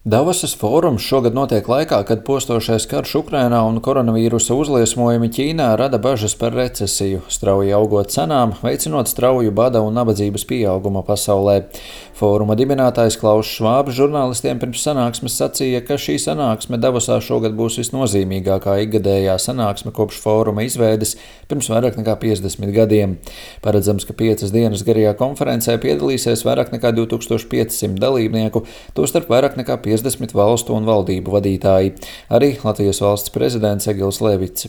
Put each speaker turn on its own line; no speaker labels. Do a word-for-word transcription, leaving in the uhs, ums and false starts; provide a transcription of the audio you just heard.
Davosas fórums šogad notiek laikā, kad postošais karš Ukrainā un koronavīrusa uzliesmojumi Ķīnā rada bažas par recesiju, strauji augot cenām, veicinot strauju bada un nabadzības pieaugumu pasaulē. Fóruma dibinātājs Klauss Švābs žurnālistiem pirms sanāksmes sacīja, ka šī sanāksme Davosā šogad būs visnozīmīgākā ikgadējā sanāksme kopš fóruma izveides pirms vairāk nekā piecdesmit gadiem. Paredzams, ka piecas dienas garajā konferencē piedalīsies vairāk nekā divi tūkstoši piecsimt dalībnieku, tostarp vairāk nekā piecdesmit valstu un valdību vadītāji, arī Latvijas valsts prezidents Egils Levits.